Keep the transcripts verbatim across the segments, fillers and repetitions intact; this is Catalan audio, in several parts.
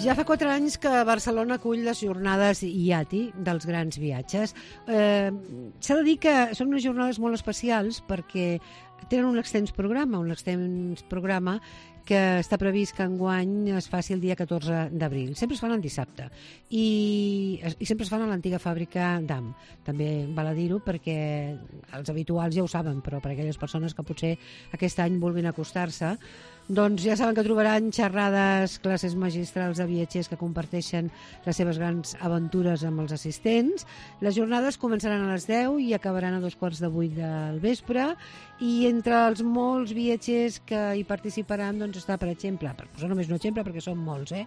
Ja fa quatre anys que Barcelona acull les jornades I A T I dels grans viatges. Eh, S'ha de dir que són unes jornades molt especials perquè tenen un extens programa, un extens programa que està previst que enguany es faci el dia catorze d'abril. Sempre es fan el dissabte i, i sempre es fan a l'antiga fàbrica d'A M. També val a dir-ho perquè els habituals ja ho saben, però per a aquelles persones que potser aquest any vulguin acostar-se, doncs ja saben que trobaran xerrades, classes magistrals de viatgers que comparteixen les seves grans aventures amb els assistents. Les jornades començaran a les deu i acabaran a dos quarts de vuit del vespre, i entre els molts viatgers que hi participaran doncs està, per exemple, per posar només un exemple perquè són molts, eh?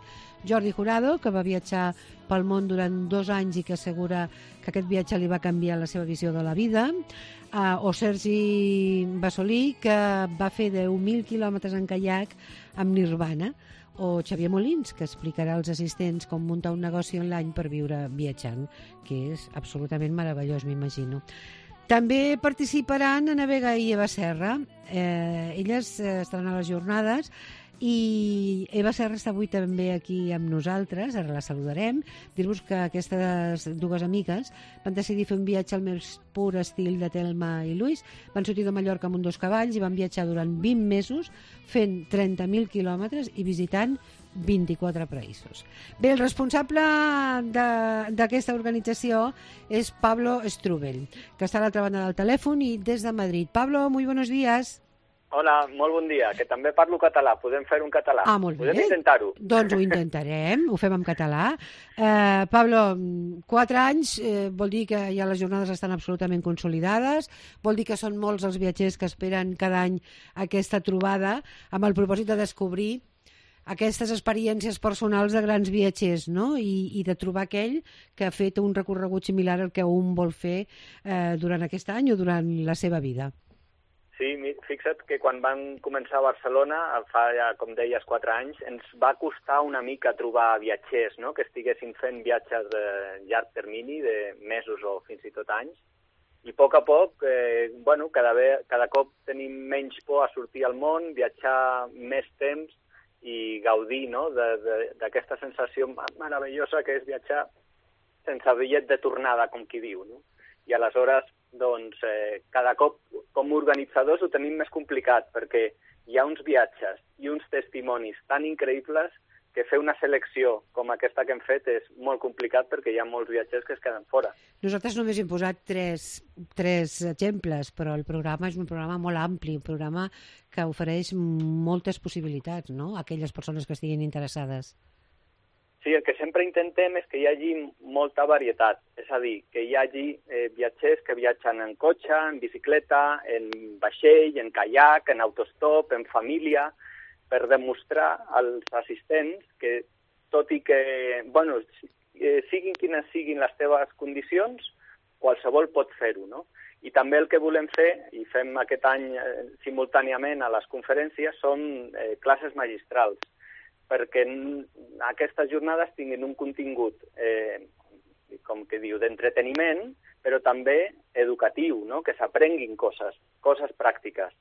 Jordi Jurado, que va viatjar pel món durant dos anys i que assegura que aquest viatge li va canviar la seva visió de la vida, uh, o Sergi Bassolí, que va fer deu mil quilòmetres en caiac amb Nirvana, o Xavier Molins, que explicarà als assistents com muntar un negoci online per viure viatjant, que és absolutament meravellós, m'imagino. També participaran Ana Vega i Eva Serra. Eh, elles eh, estaran a les jornades i Eva Serra està avui també aquí amb nosaltres, ara la saludarem. Dir-vos que aquestes dues amigues van decidir fer un viatge al més pur estil de Telma i Luis. Van sortir de Mallorca amb un dos cavalls i van viatjar durant vint mesos fent trenta mil quilòmetres i visitant vint-i-quatre països. Bé, el responsable d'aquesta organització és Pablo Strubell, que està a l'altra banda del telèfon i des de Madrid. Pablo, muy buenos días. Hola, molt bon dia, que també parlo català. Podem fer un català? Ah, molt bé. Podem intentar-ho? Doncs ho intentarem, ho fem en català. Eh, Pablo, quatre anys eh, vol dir que ja les jornades estan absolutament consolidades, vol dir que són molts els viatgers que esperen cada any aquesta trobada amb el propòsit de descobrir aquestes experiències personals de grans viatgers, no? I, i de trobar aquell que ha fet un recorregut similar al que un vol fer eh, durant aquest any o durant la seva vida. Sí, fixa't que quan van començar a Barcelona, fa ja, com deies, quatre anys, ens va costar una mica trobar viatgers, no?, que estiguessin fent viatges de llarg termini, de mesos o fins i tot anys, i a poc a poc, eh, bueno, cada, ve, cada cop tenim menys por a sortir al món, viatjar més temps i gaudir, no?, d'aquesta sensació meravellosa que és viatjar sense bitllet de tornada, com qui diu, no? I aleshores, doncs, eh, cada cop com a organitzadors ho tenim més complicat perquè hi ha uns viatges i uns testimonis tan increïbles que fer una selecció com aquesta que hem fet és molt complicat perquè hi ha molts viatgers que es queden fora. Nosaltres només hem posat tres, tres exemples, però el programa és un programa molt ampli, un programa que ofereix moltes possibilitats, no?, a aquelles persones que estiguin interessades. Sí, el que sempre intentem és que hi hagi molta varietat, és a dir, que hi hagi eh, viatgers que viatgen en cotxe, en bicicleta, en vaixell, en caiac, en autostop, en família, per demostrar als assistents que, tot i que, bueno, siguin quines siguin les teves condicions, qualsevol pot fer-ho, no? I també el que volem fer, i fem aquest any eh, simultàniament a les conferències, són eh, classes magistrals, perquè aquestes jornades tinguin un contingut, eh, com que diu, d'entreteniment, però també educatiu, no?, que s'aprenguin coses, coses pràctiques,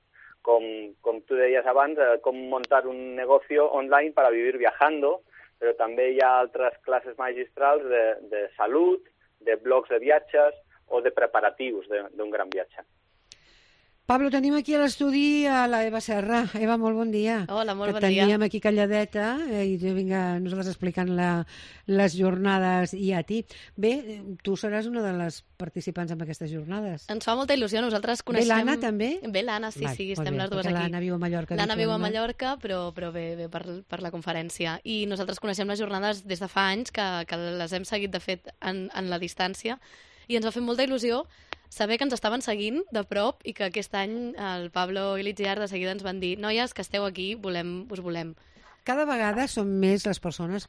com, com tu deies abans, eh, com muntar un negocio online para vivir viajando, però també hi ha altres classes magistrals de, de salut, de blogs de viatges o de preparatius d'un gran viatge. Pablo, tenim aquí a l'estudi a la Eva Serra. Eva, molt bon dia. Hola, molt bon dia. Que teníem aquí calladeta eh, i jo vinc a nosaltres explicant la, les jornades I A T I. Bé, tu seràs una de les participants en aquestes jornades. Ens fa molta il·lusió, nosaltres coneixem... Bé, l'Anna també? Bé, l'Anna, sí, Vai, sí, estem bé, les dues aquí. L'Anna viu a Mallorca. L'Anna viu a Mallorca, però, però bé, bé per, per la conferència. I nosaltres coneixem les jornades des de fa anys, que, que les hem seguit, de fet, en, en la distància, i ens va fer molta il·lusió saber que ens estaven seguint de prop i que aquest any el Pablo i l'Itziar de seguida ens van dir noies, que esteu aquí, volem, us volem. Cada vegada són més les persones,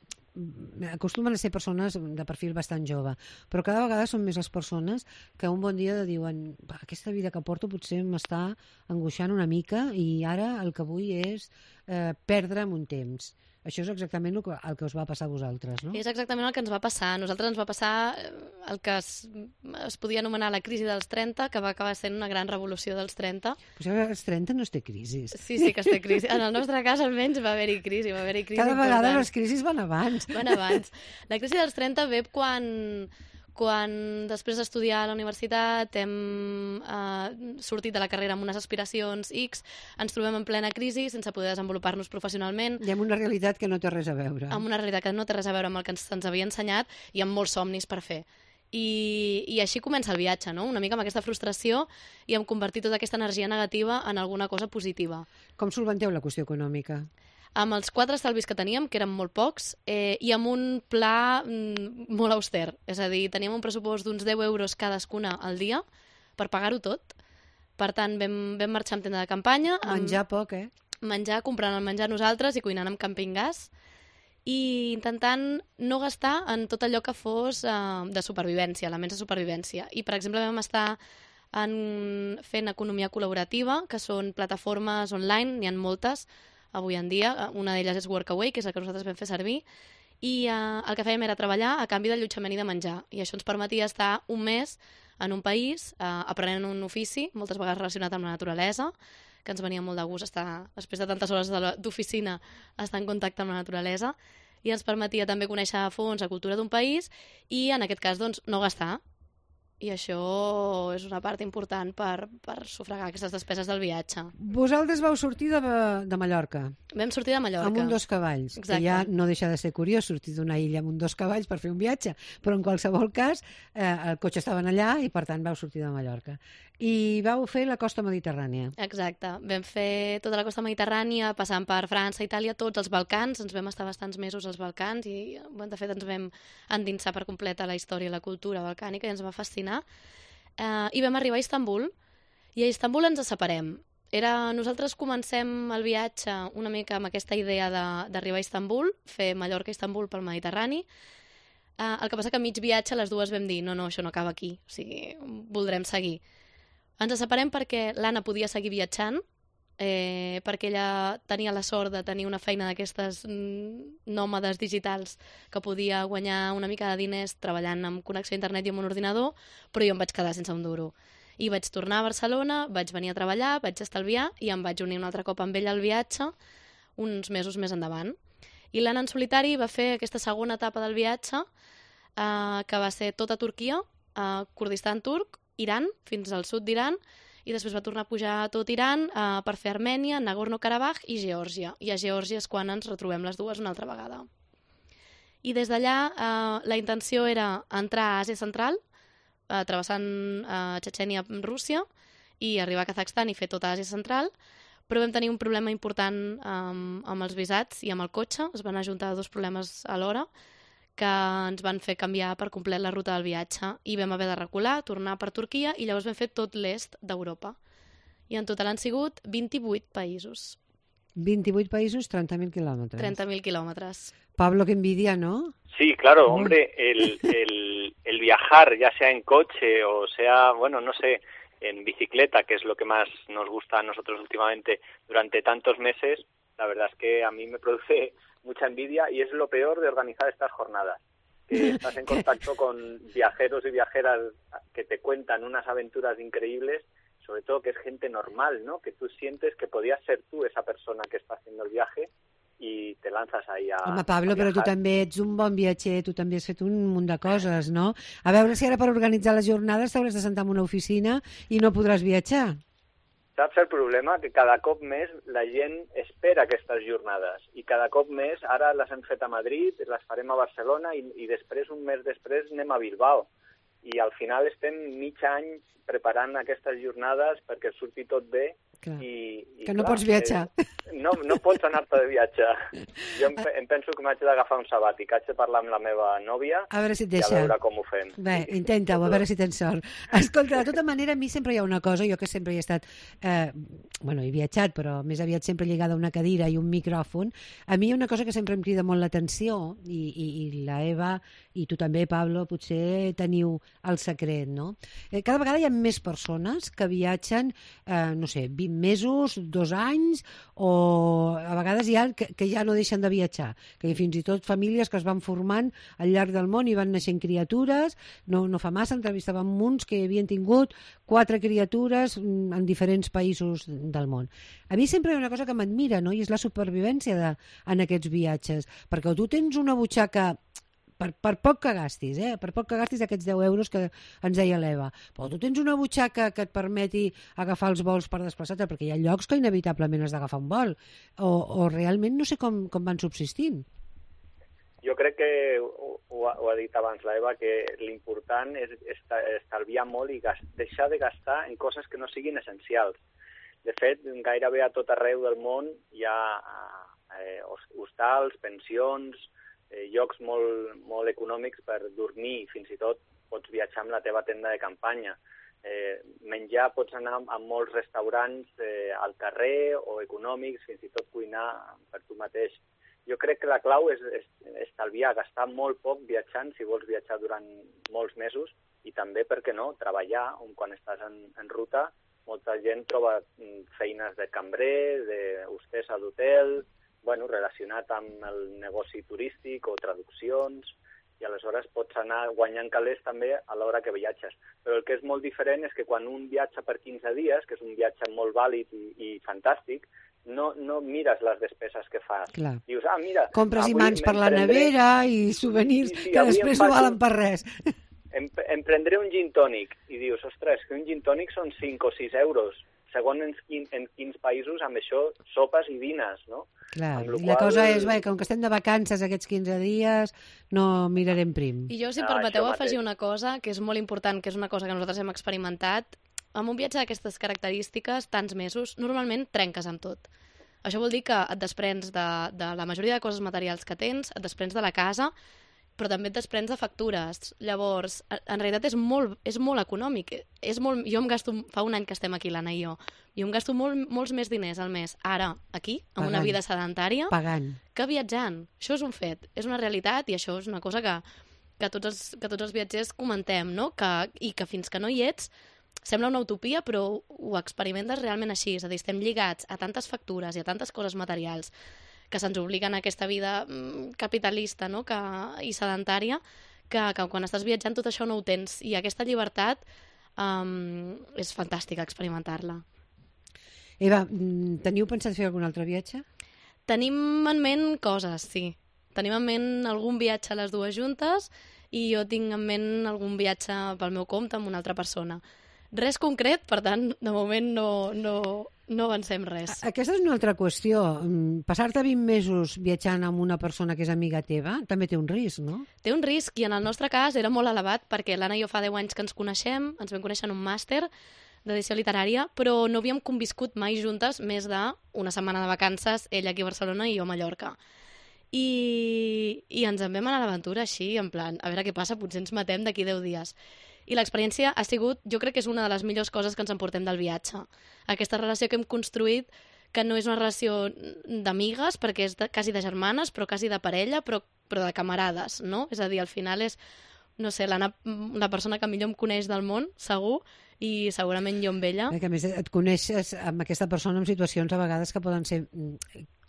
acostumen a ser persones de perfil bastant jove, però cada vegada són més les persones que un bon dia diuen aquesta vida que porto potser m'està angoixant una mica i ara el que vull és eh, perdre'm un temps. això és exactament el que, el que us va passar a vosaltres, no? És exactament el que ens va passar. A nosaltres ens va passar el que es, es podia anomenar la crisi dels trenta, que va acabar sent una gran revolució dels trenta. Però als trenta no es té crisi. Sí, sí que es té crisi. En el nostre cas, almenys, va haver-hi crisi. Va haver-hi crisi Cada important. vegada les crisis van abans. Van abans. La crisi dels trenta ve quan... quan després d'estudiar a la universitat hem eh, sortit de la carrera amb unes aspiracions X, ens trobem en plena crisi sense poder desenvolupar-nos professionalment. I amb una realitat que no té res a veure. Amb una realitat que no té res a veure amb el que ens, ens havia ensenyat i amb molts somnis per fer. I, I així comença el viatge, no? Una mica amb aquesta frustració i amb convertir tota aquesta energia negativa en alguna cosa positiva. Com solventeu la qüestió econòmica? Amb els quatre estalvis que teníem, que eren molt pocs, eh, i amb un pla mm, molt auster. És a dir, teníem un pressupost d'uns deu euros cadascuna al dia per pagar-ho tot. Per tant, vam, vam marxar amb tenda de campanya. Menjar amb... poc, eh? Menjar, comprant el menjar nosaltres i cuinant amb camping gas. I intentant no gastar en tot allò que fos eh, de supervivència, elements de supervivència. I, per exemple, vam estar en, fent economia col·laborativa, que són plataformes online, n'hi ha moltes, avui en dia. Una d'elles és Workaway, que és la que nosaltres vam fer servir, i eh, el que fèiem era treballar a canvi d'allotjament i de menjar. I això ens permetia estar un mes en un país, eh, aprenent un ofici, moltes vegades relacionat amb la naturalesa, que ens venia molt de gust estar, després de tantes hores d'oficina, estar en contacte amb la naturalesa, i ens permetia també conèixer a fons la cultura d'un país i, en aquest cas, doncs, no gastar. I això és una part important per, per sufragar aquestes despeses del viatge. Vosaltres vau sortir de, de Mallorca. Vam sortir de Mallorca. Amb un dos cavalls, Exacte. que ja no deixa de ser curiós sortir d'una illa amb un dos cavalls per fer un viatge, però en qualsevol cas eh, el cotxe estaven allà i per tant vau sortir de Mallorca. I vau fer la costa mediterrània. Exacte. Vam fer tota la costa mediterrània, passant per França, Itàlia, tots els Balcans. Ens vam estar bastants mesos als Balcans i, de fet, ens vam endinsar per complet a la història i la cultura balcànica i ens va fascinar. Uh, I vam arribar a Istanbul i a Istanbul ens separem. Era, nosaltres comencem el viatge una mica amb aquesta idea d'arribar a Istanbul, fer Mallorca-Istanbul pel Mediterrani. Uh, el que passa que a mig viatge les dues vam dir no, no, això no acaba aquí, o sigui, voldrem seguir. Ens separem perquè l'Anna podia seguir viatjant, eh, perquè ella tenia la sort de tenir una feina d'aquestes nòmades digitals que podia guanyar una mica de diners treballant amb connexió a internet i amb un ordinador, però jo em vaig quedar sense un duro. I vaig tornar a Barcelona, vaig venir a treballar, vaig estalviar i em vaig unir un altre cop amb ella al viatge uns mesos més endavant. I l'Anna en solitari va fer aquesta segona etapa del viatge, eh, que va ser tota Turquia, eh, Kurdistan turc, Iran, fins al sud d'Iran, i després va tornar a pujar a tot Iran eh, per fer Armènia, Nagorno-Karabakh i Geòrgia. I a Geòrgia és quan ens retrobem les dues una altra vegada. I des d'allà eh, la intenció era entrar a Àsia Central, eh, travessant eh, Txetxènia, Rússia, i arribar a Kazakhstan i fer tota Àsia Central, però vam tenir un problema important eh, amb els visats i amb el cotxe. Es van ajuntar dos problemes alhora que ens van fer canviar per complet la ruta del viatge i vam haver de recular, tornar per Turquia i llavors vam fer tot l'est d'Europa. I en total han sigut vint-i-vuit països. vint-i-vuit països, trenta mil quilòmetres. trenta mil quilòmetres. Pablo, qué envidia, ¿no? Sí, claro, hombre, el, el, el viajar, ya sea en coche o sea, bueno, no sé, en bicicleta, que es lo que más nos gusta a nosotros últimamente durante tantos meses, la verdad es que a mí me produce mucha envidia y es lo peor de organizar estas jornadas, que estás en contacto con viajeros y viajeras que te cuentan unas aventuras increíbles, sobre todo que es gente normal, ¿no? Que tú sientes que podías ser tú esa persona que está haciendo el viaje i te lanzas ahí a Home, Pablo, a però tu també ets un bon viatger, tu també has fet un munt de coses, no? A veure si ara per organitzar les jornades t'hauràs de sentar en una oficina i no podràs viatjar. Saps el problema? Que cada cop més la gent espera aquestes jornades i cada cop més, ara les hem fet a Madrid, les farem a Barcelona i, i després, un mes després, anem a Bilbao. I al final estem mig any preparant aquestes jornades perquè surti tot bé. Clar. I, i que no clar, pots viatjar. Eh, no, no pots anar-te de viatge. Jo em, em penso que m'haig d'agafar un sabàtic, haig de parlar amb la meva nòvia a veure si et i deixa. a veure com ho fem. Bé, intenta-ho, a veure si tens sort. Escolta, de tota manera, a mi sempre hi ha una cosa, jo que sempre hi he estat, eh, bueno, he viatjat, però més aviat sempre lligada a una cadira i un micròfon, a mi hi ha una cosa que sempre em crida molt l'atenció, i, i, i la Eva, i tu també, Pablo, potser teniu el secret, no? Eh, cada vegada hi ha més persones que viatgen, eh, no sé, vint mesos, dos anys, o a vegades hi ha que, que ja no deixen de viatjar, que hi ha fins i tot famílies que es van formant al llarg del món i van naixent criatures. No, no fa massa entrevistàvem uns que havien tingut quatre criatures en diferents països del món. A mi sempre hi ha una cosa que m'admira, no? I és la supervivència de, en aquests viatges, perquè tu tens una butxaca Per, per poc que gastis, eh? per poc que gastis aquests deu euros que ens deia l'Eva. Però tu tens una butxaca que et permeti agafar els vols per desplaçar-te, perquè hi ha llocs que inevitablement has d'agafar un vol, o, o realment no sé com, com van subsistint. Jo crec que ho, ho, ha, ho ha dit abans l'Eva, que l'important és estalviar molt i gast, deixar de gastar en coses que no siguin essencials. De fet, gairebé a tot arreu del món hi ha eh, hostals, pensions, Eh, llocs molt, molt econòmics per dormir, fins i tot pots viatjar amb la teva tenda de campanya. Eh, menjar pots anar a molts restaurants eh, al carrer o econòmics, fins i tot cuinar per tu mateix. Jo crec que la clau és, és estalviar, gastar molt poc viatjant si vols viatjar durant molts mesos i també, per què no, treballar quan estàs en, en ruta. Molta gent troba feines de cambrer, d'hostessa d'hotel, bueno, relacionat amb el negoci turístic o traduccions, i aleshores pots anar guanyant calés també a l'hora que viatges. Però el que és molt diferent és que quan un viatja per quinze dies, que és un viatge molt vàlid i, i fantàstic, no, no mires les despeses que fas. Clar. Dius, ah, mira... Compres imants per la nevera i souvenirs sí, sí, que després no valen per res. Em, em prendré un gin tònic i dius, ostres, que un gin tònic són cinc o sis euros. Segons en, quin, en quins països, amb això, sopes i dines, no? Clar, i la qual... cosa és, bé, com que estem de vacances aquests quinze dies, no mirarem prim. I jo, si em permeteu, ah, afegir una cosa que és molt important, que és una cosa que nosaltres hem experimentat. Amb un viatge d'aquestes característiques, tants mesos, normalment trenques amb tot. Això vol dir que et desprens de, de la majoria de coses materials que tens, et desprens de la casa, però també et desprens de factures. Llavors, en realitat és molt, és molt econòmic. És molt, jo em gasto, fa un any que estem aquí, l'Anna i jo, i em gasto molt, molts més diners al mes, ara, aquí, amb Pagant. Una vida sedentària, Pagant. Que viatjant. Això és un fet, és una realitat, i això és una cosa que, que, tots, els, que tots els viatgers comentem, no? Que, i que fins que no hi ets, sembla una utopia, però ho experimentes realment així. És a dir, estem lligats a tantes factures i a tantes coses materials que se'ns obliguen a aquesta vida capitalista, no? que, i sedentària, que, que quan estàs viatjant tot això no ho tens. I aquesta llibertat um, és fantàstica experimentar-la. Eva, teniu pensat fer algun altre viatge? Tenim en ment coses, sí. Tenim en ment algun viatge a les dues juntes i jo tinc en ment algun viatge pel meu compte amb una altra persona. Res concret, per tant, de moment no, no, no avancem res. Aquesta és una altra qüestió. Passar-te vint mesos viatjant amb una persona que és amiga teva també té un risc, no? Té un risc, i en el nostre cas era molt elevat, perquè l'Anna i jo fa deu anys que ens coneixem, ens vam conèixer en un màster d'edició literària, però no havíem conviscut mai juntes més d'una setmana de vacances, ella aquí a Barcelona i jo a Mallorca. I, i ens en vam anar a l'aventura així, en plan, a veure què passa, potser ens matem d'aquí deu dies. I l'experiència ha sigut, jo crec que és una de les millors coses que ens emportem del viatge. Aquesta relació que hem construït, que no és una relació d'amigues, perquè és de, quasi de germanes, però quasi de parella, però, però de camarades, no? És a dir, al final és, no sé, la, la persona que millor em coneix del món, segur, i segurament jo amb ella. Que a més et coneixes amb aquesta persona en situacions a vegades que poden ser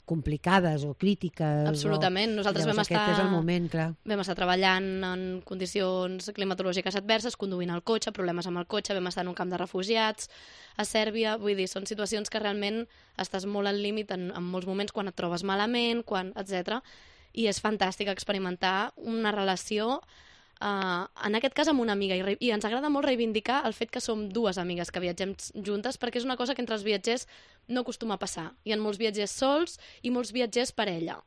complicades o crítiques. Absolutament. O... Nosaltres vam estar, és el moment, clar. vam estar treballant en condicions climatològiques adverses, conduint el cotxe, problemes amb el cotxe, vam estar en un camp de refugiats a Sèrbia. Vull dir, són situacions que realment estàs molt al límit en, en molts moments, quan et trobes malament, quan, etcètera. I és fantàstic experimentar una relació Uh, en aquest cas amb una amiga, i, i ens agrada molt reivindicar el fet que som dues amigues que viatgem juntes, perquè és una cosa que entre els viatgers no acostuma a passar. Hi ha molts viatgers sols i molts viatgers per ella.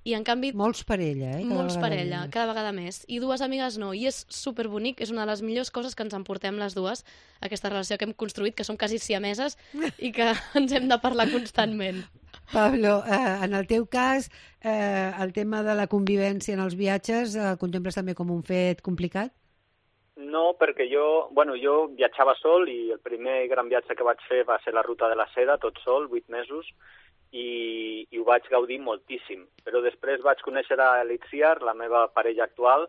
I en canvi... Molts per ella, eh? Molts per ella, més. Cada vegada més. I dues amigues no, i és superbonic, és una de les millors coses que ens emportem les dues, aquesta relació que hem construït, que som quasi siameses i que ens hem de parlar constantment. Pablo, eh, en el teu cas, eh, el tema de la convivència en els viatges, eh, el contemples també com un fet complicat? No, perquè jo, bueno, jo viatjava sol i el primer gran viatge que vaig fer va ser la Ruta de la Seda, tot sol, vuit mesos, i, i ho vaig gaudir moltíssim. Però després vaig conèixer a Elitziar, la meva parella actual,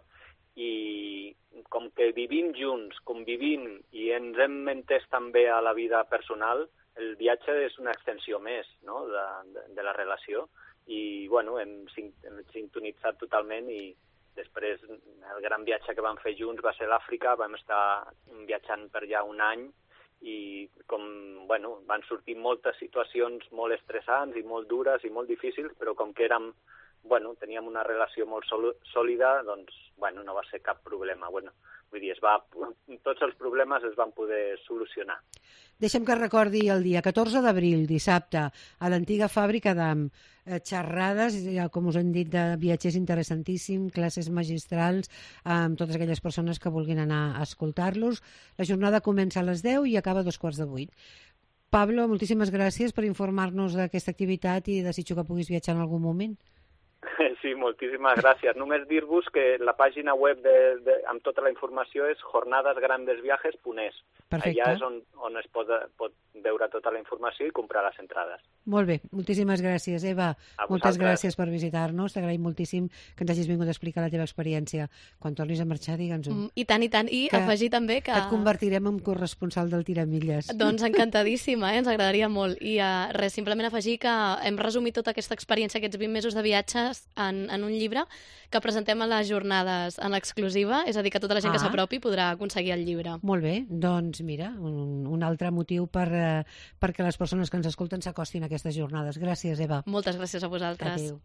i com que vivim junts, convivim, i ens hem entès també a la vida personal, el viatge és una extensió més, no?, de, de, de la relació, i bueno, hem, hem sintonitzat totalment, i després el gran viatge que vam fer junts va ser l'Àfrica, vam estar viatjant per allà un any, i com, bueno, van sortir moltes situacions molt estressants i molt dures i molt difícils, però com que érem, bueno, teníem una relació molt sòlida, doncs, bueno, no va ser cap problema. Bueno, vull dir, es va, tots els problemes es van poder solucionar. Deixa'm que recordi el dia catorze d'abril, dissabte, a l'antiga fàbrica d'Am, eh, xerrades, com us hem dit, de viatgers interessantíssim, classes magistrals, amb totes aquelles persones que vulguin anar a escoltar-los. La jornada comença a les deu i acaba a dos quarts de vuit. Pablo, moltíssimes gràcies per informar-nos d'aquesta activitat i desitjo que puguis viatjar en algun moment. Sí, moltíssimes gràcies. Només dir-vos que la pàgina web de, de, amb tota la informació és jornades grandes viajes punt es. Perfecte. Allà és on, on es pot, pot veure tota la informació i comprar les entrades. Molt bé, moltíssimes gràcies, Eva. Moltes gràcies per visitar-nos. T'agraïm moltíssim que ens hagis vingut a explicar la teva experiència. Quan tornis a marxar, digue'ns-ho. Mm, I tant, i tant. I que, afegir també que... que et convertirem en corresponsal del Tiramilles. Doncs encantadíssima, eh? Ens agradaria molt. I uh, res, simplement afegir que hem resumit tota aquesta experiència, aquests vint mesos de viatges, en, en un llibre que presentem a les jornades en l'exclusiva, és a dir, que tota la gent ah. que s'apropi podrà aconseguir el llibre. Molt bé, doncs mira, un, un altre motiu per, eh, perquè les persones que ens escolten s'acostin a aquestes jornades. Gràcies, Eva. Moltes gràcies a vosaltres. Adéu.